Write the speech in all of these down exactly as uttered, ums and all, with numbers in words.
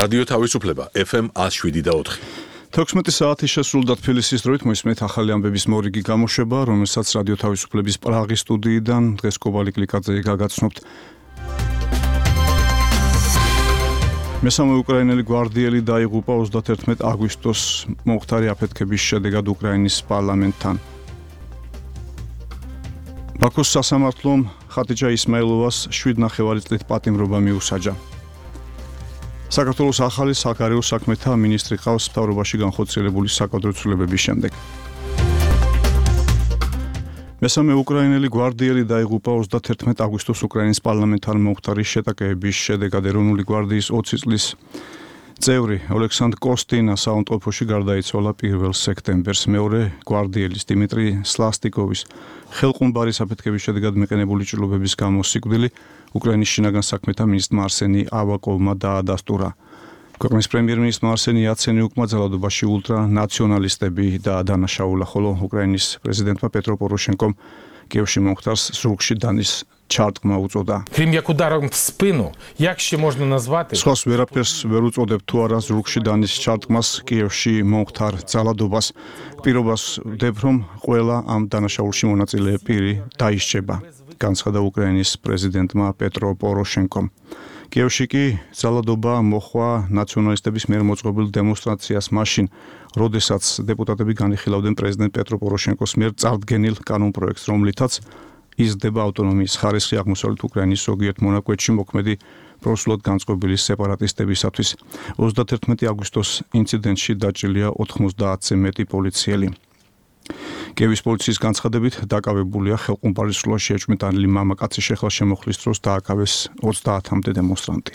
რადიო თავისუფლება ეფ ემ one oh seven და four. თექვსმეტი საათი შესრულდა თბილისის დროით, მოისმენთ ახალი ამბების მორიგი გამოშვება, რომელსაც რადიო თავისუფლების პრაღის სტუდიიდან დღეს კობალი კლიკაძე გაგაცნობთ. მესამე უკრაინელი გვარდიელი დაიღუპა ოცდაათერთმეტი აგვისტოს მომხდარი აფეთქების შედეგად უკრაინის პარლამენტთან. ბაქოს სასამართლომ ხატიჯა ისმაილოვას შვიდ ნახევარი წლით პატიმრობა მიუსაჯა. საქართველოს ახალი საგარეო საქმეთა მინისტრი ყავს მთავრობაში განხორციელებული საკადრო ცვლილებების შემდეგ. მესამე უკრაინელი გვარდიელი დაიღუპა ოცდაათერთმეტი აგვისტოს უკრაინის პარლამენტთან მომხდარი შეტაკებების შედეგად. ეროვნული გვარდიის ოცი წლის წევრი ოლექსანდრ კოსტინა საავადმყოფოში გარდაიცვალა პირველ სექტემბერს. მეორე გვარდიელის დიმიტრი სლასტიკოვის ხელყუმბარის აფეთქების შედეგად მიყენებული ჭრილობების გამო სიკვდილი უკრაინის შინაგან საქმეთა მინისტრმა არსენი ავაკოვმა დაადასტურა. ქვეყნის პრემიერ-მინისტრმა არსენი იაცენიუკმა ძალადობაში ულტრანაციონალისტები დაადანაშაულა, ხოლო უკრაინის პრეზიდენტმა პეტრო პოროშენკომ კიევში მომხდარს ზურგში დანის ჩარტყმა უწოდა. Крім як ударом в спину, як ще можна назвати? სხვას ვერაფერს ვერ უწოდებ თუ არა ზურგში დანის ჩარტყმას კიევში მომხდარ ძალადობას. პირობას ვდებ, რომ ყველა ამ დანაშაულში მონაწილე პირი დაისჯება, განცხადა უკრაინის პრეზიდენტმა პეტრო პოროშენკომ. კიევში კი ძალადობა მოხვა ნაციონალისტების მიერ მოწყობილ დემონსტრაციას მაშინ, როდესაც დეპუტატები განიხილავდნენ პრეზიდენტ პეტრო პოროშენკოს მიერ წარდგენილ კანონპროექტს, რომლითაც იზრდება ავტონომიის ხარისხი აღმოსავლეთ უკრაინის ზოგიერთ მონაკვეთში მოქმედი პროსულად განწყობილი სეპარატისტებისათვის. ოცდაათერთმეტი აგვისტოს ინციდენტში დაჭრილია ოთხმოცდაათზე მეტი პოლიციელი. კიევის პოლიციის განცხადებით დაკავებულია ხელყუმბარის სრულად შეჭმიტანილი მამაკაცი შეხლა შემოხლის დროს დააკავეს ოცდაათამდე დემონსტრანტი.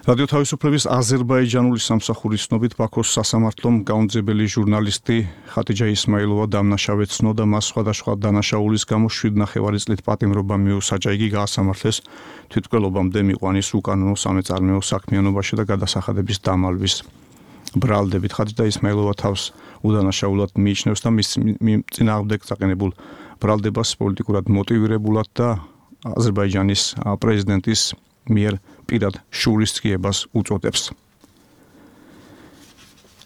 რადიო თავისუფლების აზერბაიჯანული სამსახურის ცნობით ბაქოს სასამართლომ გაუნძებელი ჟურნალისტი ხატიჯა ისმაილოვა დამნაშავედ ცნო და მას სხვადასხვა დანაშაულის გამო შვიდ ნახევარი წლით პატიმრობა მიუსაჯა. იგი გაასამართლეს თვითმკვლელობამდე მიყვანის უკანონო სამეწარმეო საქმიანობაში და გადასახადების დამალვის ბრალდებით. ხატიჯა ისმაილოვა თავს უდანაშაულად მიიჩნევს და მის წინააღმდეგ წაყენებულ ბრალდებას პოლიტიკურად მოტივირებულად და აზერბაიჯანის პრეზიდენტის მიერ პირად შურისძიებას უწოდებს.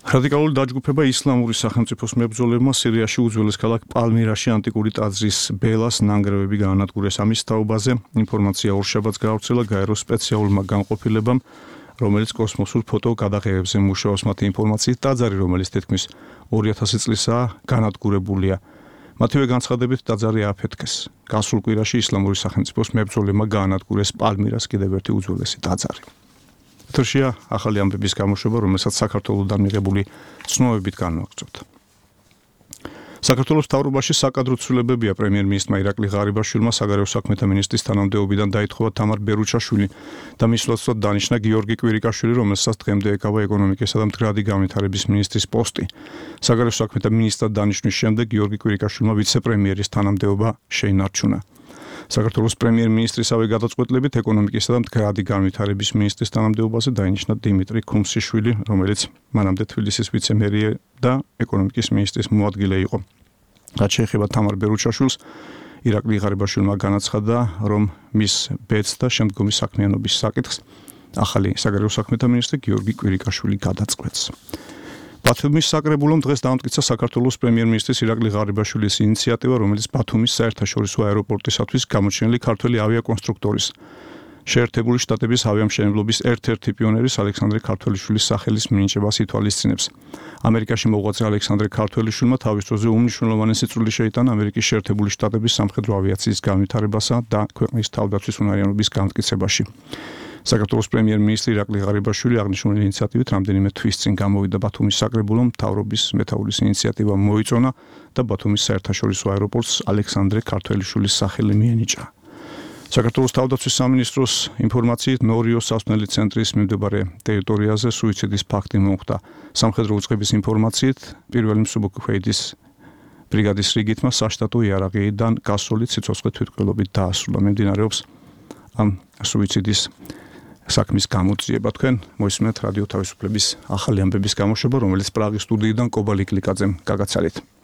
რადიკალური დაჯგუფება ისლამური სახელმწიფოს მებრძოლებმა სირიაში უძველეს ქალაქ პალმირაში ანტიკური ტაძრის ბელას ნანგრევები გაანადგურეს. ამის თაობაზე ინფორმაცია ორშაბათს გაავრცელა გაეროს სპეციალურმა განყოფილებამ, რომელიც კოსმოსურ ფოტო გადაღებებზე მუშაობს. მათი ინფორმაციით ტაძარი, რომელიც თითქმის ორი ათასი წლისაა, განადგურებულია. მათივე განცხადებით ტაძარი ააფეთქეს. გასულ კვირაში ისლამური სახელმწიფოს მებრძოლებმა გაანადგურეს პალმირას კიდევ ერთი უძველესი ტაძარი. ეთერშია ახალი ამბების გამოშვება, რომელსაც საქართველოსთან მიღებული ცნობებით განვაგრძობთ. საქართველოს მთავრობაში საკადრო ცვლილებებია. პრემიერ-მინისტრმა ირაკლი ღარიბაშვილმა საგარეო საქმეთა მინისტრის თანამდებობიდან დაითხოვა თამარ ბერუჩაშვილი და მის ლოცვად დანიშნა გიორგი კვირიკაშვილი, რომელსაც დღემდე ეკავა ეკონომიკისა და მდგრადი განვითარების მინისტრის პოსტი. საგარეო საქმეთა მინისტრად დანიშნვის შემდეგ გიორგი კვირიკაშვილმა ვიცე-პრემიერის თანამდებობა შეინარჩუნა. საქართველოს პრემიერ-მინისტრისავე გადაწყვეტილებით ეკონომიკისა და მდგრადი განვითარების მინისტრის თანამდებობაზე დაინიშნა დიმიტრი ქუმსიშვილი, რომელიც მანამდე თბილისის ვიცე-მერია და ეკონომიკის მინისტრის მოადგილე იყო. რაც შეეხება თამარ ბერუჩაშვილს, ირაკლი ღარიბაშვილმა განაცხადა, რომ მის ბედს და შემდგომი საქმიანობის საკითხს ახალი საგარეო საქმეთა მინისტრი გიორგი კვირიკაშვილი გადაწყვეტს. ბათუმის საკრებულომ დღეს დაამტკიცა საქართველოს პრემიერ-მინისტრის ირაკლი ღარიბაშვილის ინიციატივა, რომელიც ბათუმის საერთაშორისო აეროპორტისათვის გამოჩენილი ქართველი ავიაკონსტრუქტორის შეერთებული შტატების ავიამშენებლობის ერთ-ერთი პიონერის ალექსანდრე ქართველიშვილის სახელის მინიჭებას ითვალისწინებს. ამერიკაში მოღვაწე ალექსანდრე ქართველიშვილმა თავის დროზე უმნიშვნელოვანესი წვლილი შეიტანა ამერიკის შეერთებული შტატების სამხედრო ავიაციის განვითარებასა და ქვეყნის თავდაცვის უნარიანობის განმტკიცებაში. საქართველოს პრემიერ-მინისტრი ირაკლი ღარიბაშვილი აღნიშნული ინიციატივით რამდენიმე თვის წინ გამოვიდა ბათუმის საკრებულომ, მთავრობის მეთაურის ინიციატივა მოიწონა და ბათუმის საერთაშორისო აეროპორტს ალექსანდრე ქართველიშვილის სახელი მიენიჭა. საქართველოს თავდაცვის სამინისტროს ინფორმაციით ნორიოს სასწავლელი ცენტრის მიმდებარე ტერიტორიაზე სუიციდის ფაქტი მოხდა. სამხედრო უწყების ინფორმაციით პირველი მსუბუქფეიდის ბრიგადის რიგითმა საშტატო იარაღიდან გასული სიცოცხლე თვითმკვლელობით დაასრულა. მიმდინარეობს ამ სუიციდის საქმის გამოძიება. თქვენ მოისმენთ რადიო თავისუფლების ახალი ამბების გამოშვება, რომელიც პრაღის სტუდიიდან კობალი კლიკაძემ გაგაცალეთ.